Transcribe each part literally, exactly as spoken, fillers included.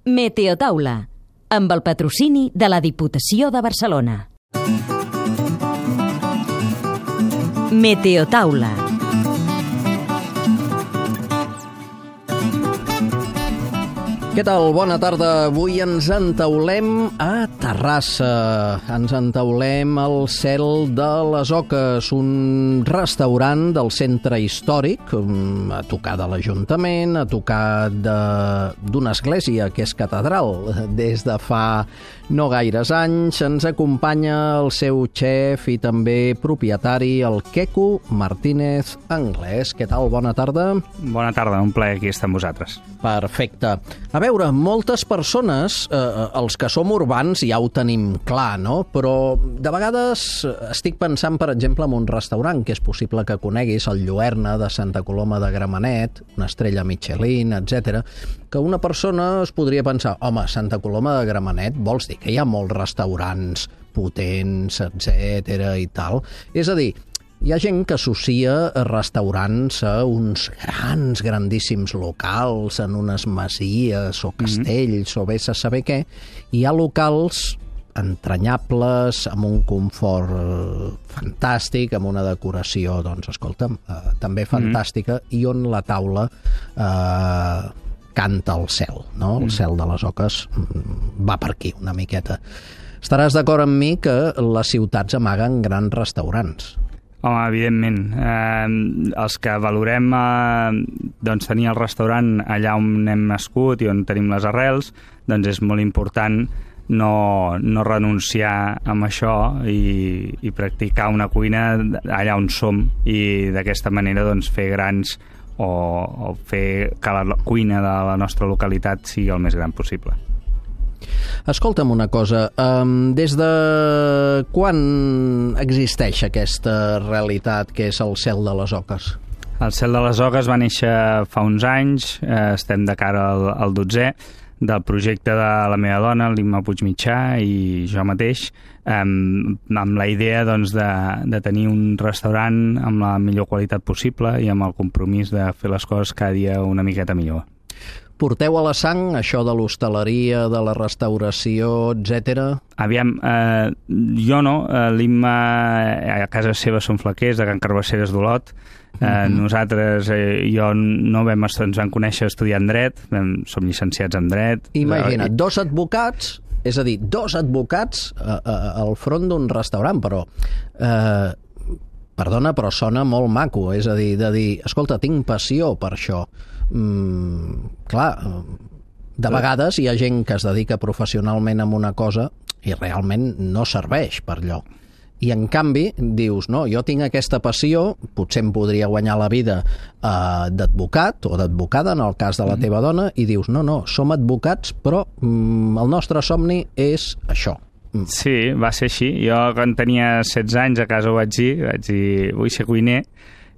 Meteotaula, amb el patrocini de la Diputació de Barcelona. Meteotaula. Què tal? Bona tarda. Avui ens entaulem a Terrassa. Ens entaulem al Cel de les Oques, un restaurant del centre històric, a tocar de l'Ajuntament, a tocar d'una església que és catedral. Des de fa no gaires anys ens acompanya el seu xef i també propietari, el Queco Martínez Anglès. Què tal? Bona tarda. Bona tarda, un plaer aquí estar amb vosaltres. Perfecte. A veure, moltes persones, eh, els que som urbans ja ho tenim clar, no? Però de vegades estic pensant, per exemple, en un restaurant que és possible que coneguis, el Lluerna de Santa Coloma de Gramenet, una estrella Michelin, etcètera, que una persona es podria pensar, home, Santa Coloma de Gramenet, vols dir que hi ha molts restaurants potents, etcètera i tal? És a dir, hi ha gent que associa restaurants a uns grans, grandíssims locals, en unes masies o castells, mm-hmm. o vés a saber què. Hi ha locals entranyables, amb un confort eh, fantàstic, amb una decoració, doncs, escolta'm, eh, també fantàstica, mm-hmm. i on la taula eh, canta el cel, no? El mm-hmm. cel de les Oques va per aquí, una miqueta. Estaràs d'acord amb mi que les ciutats amaguen grans restaurants. Home, evidentment. Eh, els que valorem eh, doncs tenir el restaurant allà on hem nascut i on tenim les arrels, doncs és molt important no, no renunciar amb això i, i practicar una cuina allà on som i d'aquesta manera doncs, fer grans o, o fer que la cuina de la nostra localitat sigui el més gran possible. Escolta'm una cosa, um, des de quan existeix aquesta realitat que és el Cel de les Oques? El Cel de les Oques va néixer fa uns anys, eh, estem de cara al, al dotzè, del projecte de la meva dona, l'Imma Puigmitjà, i jo mateix, eh, amb la idea doncs, de, de tenir un restaurant amb la millor qualitat possible i amb el compromís de fer les coses cada dia una miqueta millor. Porteu a la sang això de l'hostaleria, de la restauració, etcètera? Aviam, eh, jo no. Eh, L'Imma a casa seva són flaquers, de Can Carbasseres d'Olot. Eh, mm-hmm. Nosaltres, eh, jo no vam, ens vam conèixer estudiant dret, vam, som llicenciats en dret. Imagina't, dos advocats, és a dir, dos advocats eh, eh, al front d'un restaurant, però... Eh, Perdona, però sona molt maco, és a dir, de dir, escolta, tinc passió per això. Mm, clar, de vegades hi ha gent que es dedica professionalment a una cosa i realment no serveix per allò. I en canvi dius, no, jo tinc aquesta passió, potser em podria guanyar la vida eh, d'advocat o d'advocada, en el cas de la teva dona, i dius, no, no, som advocats, però mm, el nostre somni és això. Sí, va ser així. Jo, quan tenia setze anys, a casa ho vaig dir, vaig dir, vull ser cuiner,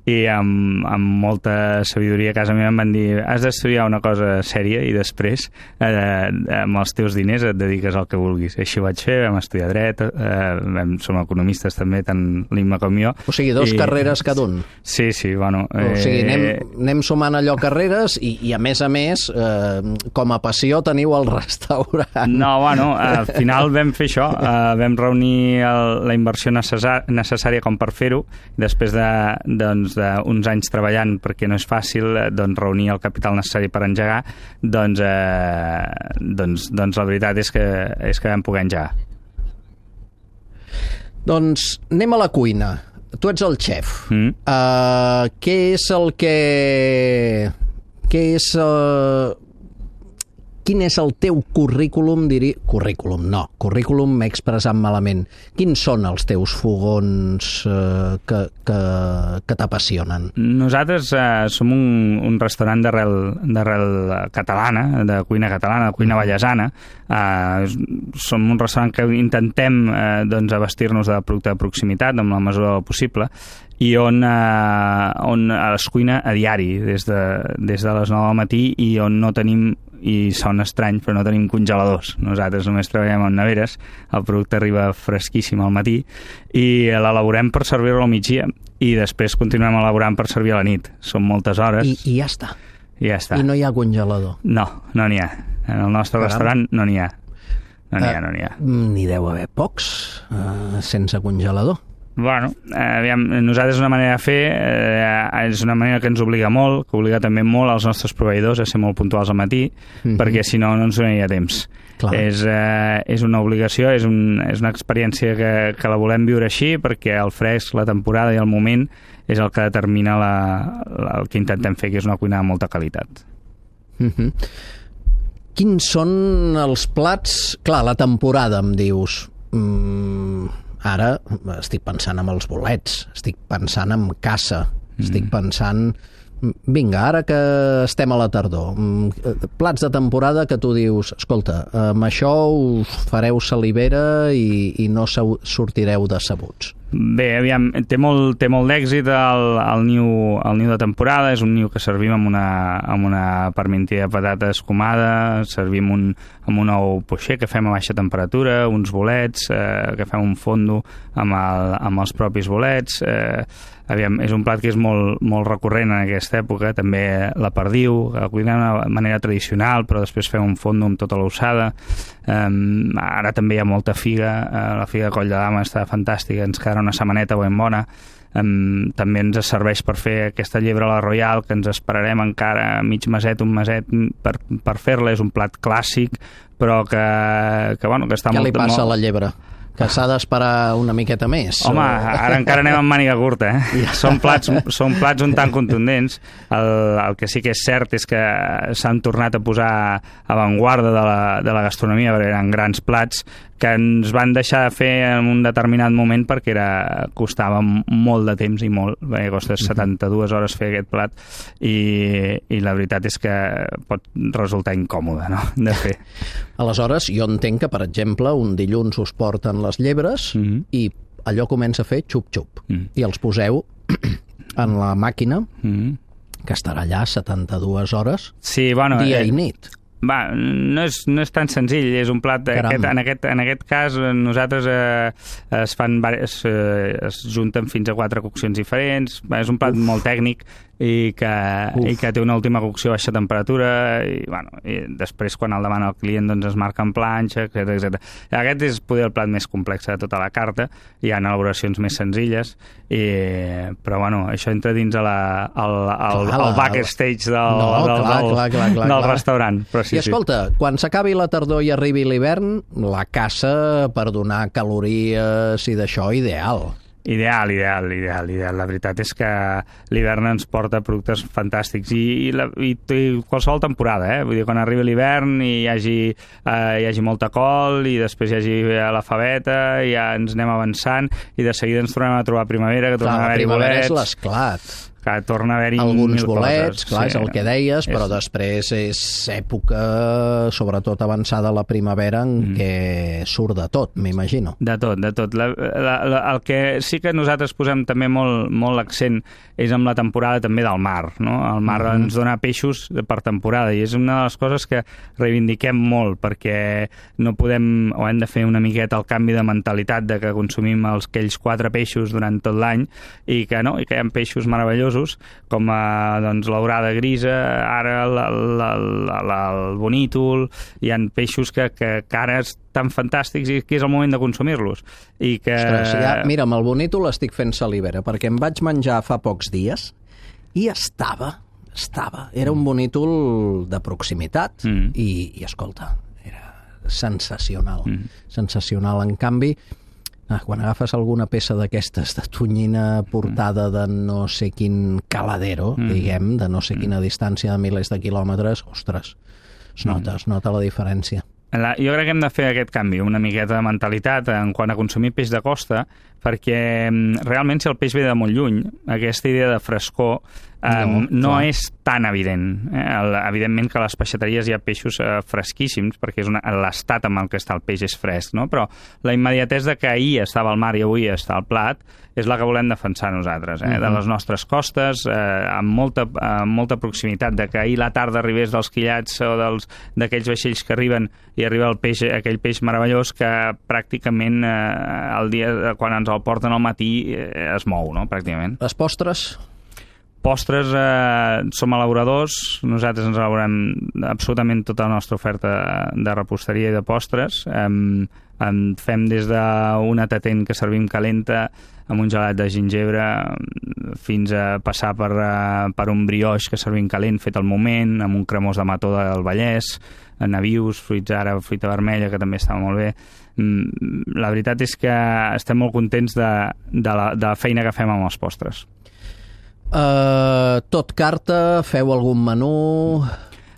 i amb, amb molta sabidoria a casa meva em van dir, has d'estudiar una cosa sèria i després, eh, amb els teus diners et dediques al que vulguis. Així ho vaig fer, vam estudiar dret, eh, vam, som economistes també, tant l'Imma com jo. O sigui, dos I... carreres cada un. Sí, sí, bueno... Eh... O sigui, anem, anem sumant allò carreres i, i a més a més, eh, com a passió teniu el restaurant. No, bueno, al final vam fer això, eh, vam reunir el, la inversió necessària com per fer-ho, després de, doncs, d'uns anys treballant, perquè no és fàcil doncs, reunir el capital necessari per engegar, doncs, eh, doncs, doncs la veritat és que, és que vam poder engegar. Doncs anem a la cuina. Tu ets el xef. Mm. Uh, què és el que... Què és... Uh... Quin és el teu currículum, diria... Currículum, no. Currículum m'he expressat malament. Quins són els teus fogons eh, que, que, que t'apassionen? Nosaltres eh, som un, un restaurant d'arrel catalana, de cuina catalana, de cuina vallesana. Eh, som un restaurant que intentem eh, doncs, abastir-nos de producte de proximitat amb la mesura del possible i on, eh, on es cuina a diari, des de, des de les nou del matí, i on no tenim, i sona estrany, però no tenim congeladors. Nosaltres només treballem en neveres, el producte arriba fresquíssim al matí i l'elaborem per servir-lo al migdia i després continuem elaborant per servir a la nit. Són moltes hores. I, i ja està. I ja està. I no hi ha congelador? No, no n'hi ha. En el nostre Caram. restaurant no n'hi ha. No n'hi ha, Eh, no n'hi ha. N'hi deu haver pocs uh, sense congelador. Bueno, eh, aviam, nosaltres una manera de fer, eh, és una manera que ens obliga molt, que obliga també molt als nostres proveïdors a ser molt puntuals al matí, Mhm. perquè si no, no ens donaria temps. Clar. És, eh, és una obligació, és, un, és una experiència que, que la volem viure així, perquè el fresc, la temporada i el moment és el que determina la, la, el que intentem fer, que és una cuina de molta qualitat. Uh-huh. Quins són els plats... Clar, la temporada, em dius... Mm, ara estic pensant en els bolets, estic pensant en caça, mm. estic pensant... Vinga, ara que estem a la tardor, plats de temporada que tu dius, escolta, amb això us fareu salivera i, i no sortireu decebuts. Bé, aviam, té molt, té molt d'èxit el, el, niu, el niu de temporada, és un niu que servim amb una, amb una parmentida de patata escumada, servim un, amb un ou poixer que fem a baixa temperatura, uns bolets, eh, que fem un fondo amb, el, amb els propis bolets, eh, aviam, és un plat que és molt, molt recurrent en aquesta època, també la perdiu, que la cuinem de manera tradicional, però després fem un fondo amb tota l'ossada. Um, ara també hi ha molta figa, uh, la figa de Coll de Dama està fantàstica, ens quedarà una setmaneta ben bona. Um, també ens serveix per fer aquesta llebre a la Royal, que ens esperarem encara mig meset, un meset per, per fer-la. És un plat clàssic, però que, que, bueno, que està Què molt... li passa molt... a la llebre? Que s'ha d'esperar una miqueta més? Home, o... ara encara anem amb màniga curta, eh? Ja. Són plats, són plats un tant contundents. El, el que sí que és cert és que s'han tornat a posar a avantguarda de la, de la gastronomia, perquè eren grans plats que ens van deixar de fer en un determinat moment perquè era, costava molt de temps i molt, perquè costa setanta-dues hores fer aquest plat i, i la veritat és que pot resultar incòmode, no?, de fer. Aleshores, jo entenc que, per exemple, un dilluns us porten les llebres mm-hmm. i allò comença a fer xup-xup mm. i els poseu en la màquina mm. que estarà allà setanta-dues hores, sí, bueno, dia eh... i nit. Va, no és, no és tan senzill, és un plat... Aquest, en, aquest, en aquest cas, nosaltres eh, es fan es, eh, es junten fins a quatre coccions diferents, és un plat Uf. molt tècnic i que, i que té una última cocció a baixa temperatura i, bueno, i després quan el demana el client doncs es marca en planxa, etcètera, etcètera. Aquest és poder el plat més complex de tota la carta, hi ha elaboracions més senzilles, i, però bueno, això entra dins a la, al, al, clar, al backstage del, no, del, clar, del, clar, clar, clar, del clar. restaurant. Però sí, I escolta, sí. quan s'acabi la tardor i arribi l'hivern, la caça per donar calories i d'això, ideal. Ideal, ideal, ideal, ideal. La veritat és que l'hivern ens porta productes fantàstics i, i, la, i, i qualsevol temporada, eh? Vull dir, quan arribi l'hivern i hi hagi, eh, hi hagi molta col i després hi hagi la faveta, ja ens anem avançant i de seguida ens tornem a trobar primavera, que tornem a haver-hi bolets. La primavera és l'esclat. Que torna a haver-hi alguns mil bolets, coses. clar, sí, és el que deies, és... però després és època, sobretot avançada la primavera, en mm. què surt de tot, m'imagino. De tot, de tot. La, la, la, el que sí que nosaltres posem també molt, molt l'accent és amb la temporada també del mar, no? El mar mm-hmm. ens dona peixos per temporada i és una de les coses que reivindiquem molt, perquè no podem, o hem de fer una miqueta el canvi de mentalitat de que consumim els, aquells quatre peixos durant tot l'any i que no, i que hi ha peixos meravellosos com a, doncs, l'orada grisa, ara el, el, el, el bonítol, hi ha peixos que, que, que ara estan fantàstics i que és el moment de consumir-los. I que... Ostres, ja, mira, amb el bonítol estic fent salivera, perquè em vaig menjar fa pocs dies i estava, estava, era un bonítol de proximitat mm. i, i, escolta, era sensacional, mm. sensacional. En canvi, Ah, quan agafes alguna peça d'aquestes de tonyina portada de no sé quin caladero, mm. diguem, de no sé quina distància de milers de quilòmetres, ostres, es nota, mm. es nota la diferència. La, jo crec que hem de fer aquest canvi, una miqueta de mentalitat en quant a consumir peix de costa, perquè realment si el peix ve de molt lluny, aquesta idea de frescor eh, no, no és tan evident. Eh? El, evidentment que a les peixateries hi ha peixos eh, fresquíssims, perquè és una, l'estat amb el que està el peix és fresc, no? Però la immediatesa que ahir estava al mar i avui està al plat és la que volem defensar nosaltres, eh? Uh-huh. De les nostres costes, eh, amb, molta, amb molta proximitat, de que ahir la tarda arribés dels quillats o dels, d'aquells vaixells que arriben i arriba el peix, aquell peix meravellós que pràcticament eh, el dia, quan ens el porten al matí eh, es mou, no?, pràcticament. Les postres? postres, eh, som elaboradors, nosaltres ens elaborem absolutament tota la nostra oferta de reposteria i de postres. Eh, en fem des d'una tatent que servim calenta amb un gelat de gingebre fins a passar per, per un brioix que servim calent fet al moment, amb un cremós de mató del Vallès, nabius, fruits ara, fruita vermella, que també està molt bé. La veritat és que estem molt contents de, de, la, de la feina que fem amb els postres. Uh, tot carta, feu algun menú?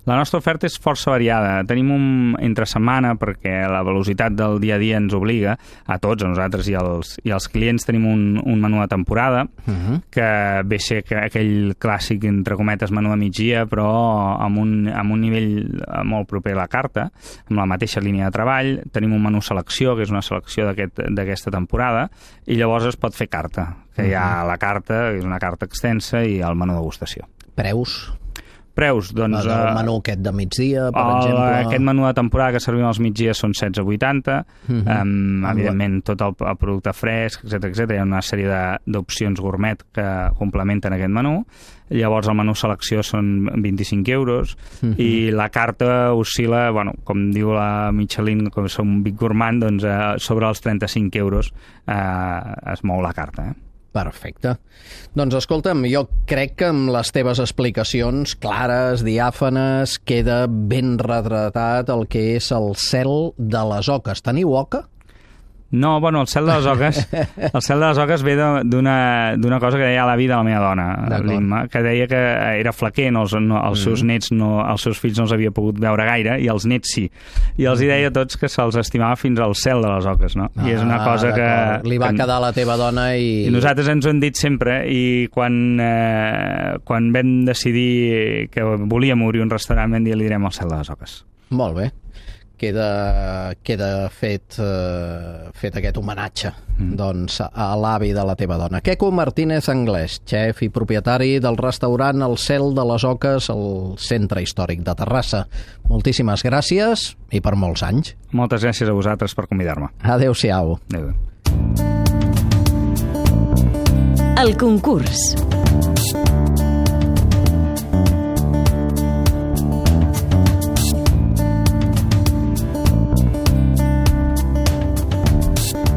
La nostra oferta és força variada. Tenim un entre setmana, perquè la velocitat del dia a dia ens obliga, a tots, a nosaltres i als, i als clients, tenim un, un menú de temporada, uh-huh. que ve ser que aquell clàssic, entre cometes, menú de migdia, però amb un, amb un nivell molt proper a la carta, amb la mateixa línia de treball. Tenim un menú selecció, que és una selecció d'aquesta aquest, temporada, i llavors es pot fer carta, que uh-huh. hi ha la carta, que és una carta extensa, i el menú degustació. Preus? Preus, doncs... El menú aquest de migdia, per el, exemple... Aquest menú de temporada que servim als migdies són setze vuitanta, uh-huh. um, evidentment tot el, el producte fresc, etcètera, etcètera. Hi ha una sèrie d'opcions gourmet que complementen aquest menú. Llavors el menú selecció són vint-i-cinc euros, uh-huh. i la carta oscil·la, bueno, com diu la Michelin, com som un Big Gourmand, doncs eh, sobre els trenta-cinc euros eh, es mou la carta, eh? Perfecte. Doncs escolta'm, jo crec que amb les teves explicacions clares, diàfanes, queda ben retratat el que és el cel de les Oques. Teniu oca? No, bueno, el cel de les Oques el cel de les Oques ve d'una cosa que deia l'avi de la meva dona, l'Imma, que deia que era flaquer, no, els, no, els seus mm. nets, no, els seus fills no els havia pogut veure gaire, i els nets sí. I els hi deia a tots que se'ls estimava fins al cel de les Oques, no? Ah, I és una cosa que... Li va que, quedar a la teva dona i... I nosaltres ens ho hem dit sempre, i quan, eh, quan vam decidir que volíem obrir un restaurant vam dir li direm al cel de les Oques. Molt bé. Queda, queda fet, uh, fet aquest homenatge mm. doncs, a l'avi de la teva dona. Queco Martínez Anglès, xef i propietari del restaurant El Cel de les Oques al Centre Històric de Terrassa. Moltíssimes gràcies i per molts anys. Moltes gràcies a vosaltres per convidar-me. Adéu-siau. Adéu. El concurs.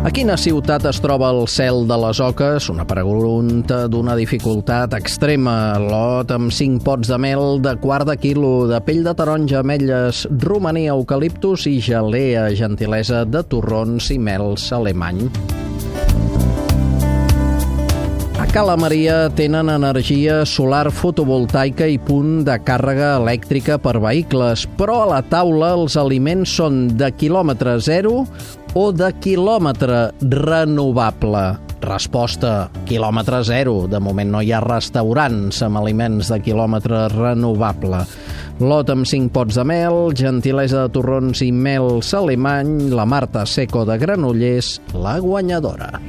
A quina ciutat es troba el Cel de les Oques? Una pregunta d'una dificultat extrema. Lot amb cinc pots de mel de quart de quilo, de pell de taronja, ametlles, romaní, eucaliptus i gelea, gentilesa de torrons i mels alemany. A Cala Maria tenen energia solar fotovoltaica i punt de càrrega elèctrica per vehicles, però a la taula els aliments són de quilòmetre zero o de quilòmetre renovable. Resposta, quilòmetre zero. De moment no hi ha restaurants amb aliments de quilòmetre renovable. Lot amb cinc pots de mel, gentilesa de torrons i mels alemany, la Marta Seco de Granollers, la guanyadora.